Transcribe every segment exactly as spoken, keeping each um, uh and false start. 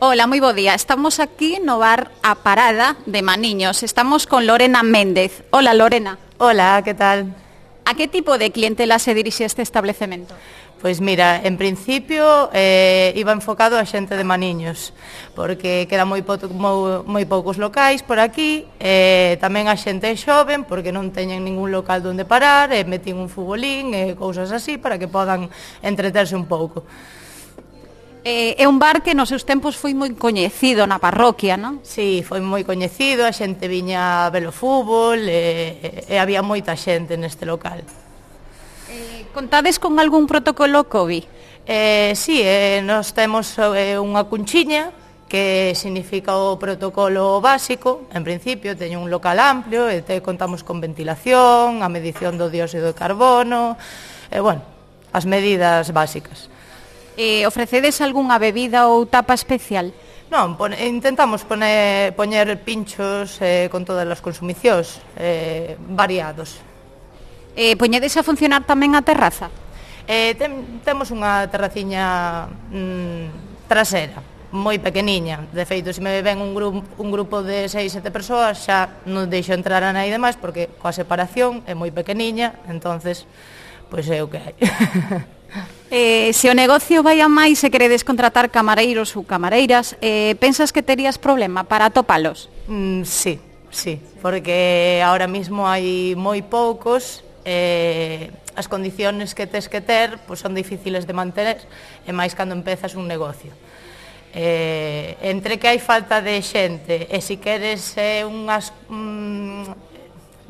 Hola, moi bo día. Estamos aquí no bar A Parada de Maniños. Estamos con Lorena Méndez. Hola, Lorena. Hola, que tal? A que tipo de clientela se dirixe este establecemento? Pois mira, en principio eh, iba enfocado a xente de Maniños, porque quedan moi, po moi, moi poucos locais por aquí, eh, tamén a xente xoven, porque non teñen ningún local onde parar, e metín un futbolín e cousas así para que podan entreterse un pouco. Eh, é un bar que nos seus tempos foi moi coñecido na parroquia, non? Sí, foi moi coñecido, a xente viña a ver o fútbol e, e había moita xente neste local. Eh, contades con algún protocolo COVID? Eh, sí, eh, nos temos eh, unha cunchiña que significa o protocolo básico. En principio teño un local amplio e te contamos con ventilación, a medición do dióxido de carbono e, bueno, as medidas básicas. Eh, ofrecedes algunha bebida ou tapa especial? Non, pon, intentamos poner, poñer pinchos eh, con todas as consumicións eh, variados. Eh, poñedes a funcionar tamén a terraza? Eh, tem, temos unha terraciña mm, trasera, moi pequeniña. De feito, se me ven un, gru un grupo de seis, sete persoas, xa non deixo entrar a nadie máis, porque coa separación é moi pequeniña, entonces, pois é o que hai. Eh, se o negocio vai a máis e queredes contratar camareiros ou camareiras, eh, pensas que terías problema para atopalos? Mm, sí, sí, porque ahora mismo hai moi poucos, eh, as condiciones que tes que ter pues, son difíciles de manter, e máis cando empezas un negocio. Eh, entre que hai falta de xente e se queres eh, unhas... Mm,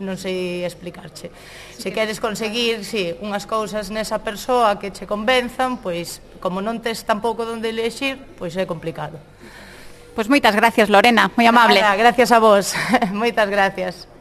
non sei explicarche. Se queres conseguir, sí, unhas cousas nesa persoa que che convenzan, pois, como non tes tampouco onde elexir, pois é complicado. Pois moitas gracias, Lorena, moi amable. Nada, gracias a vos. Moitas gracias.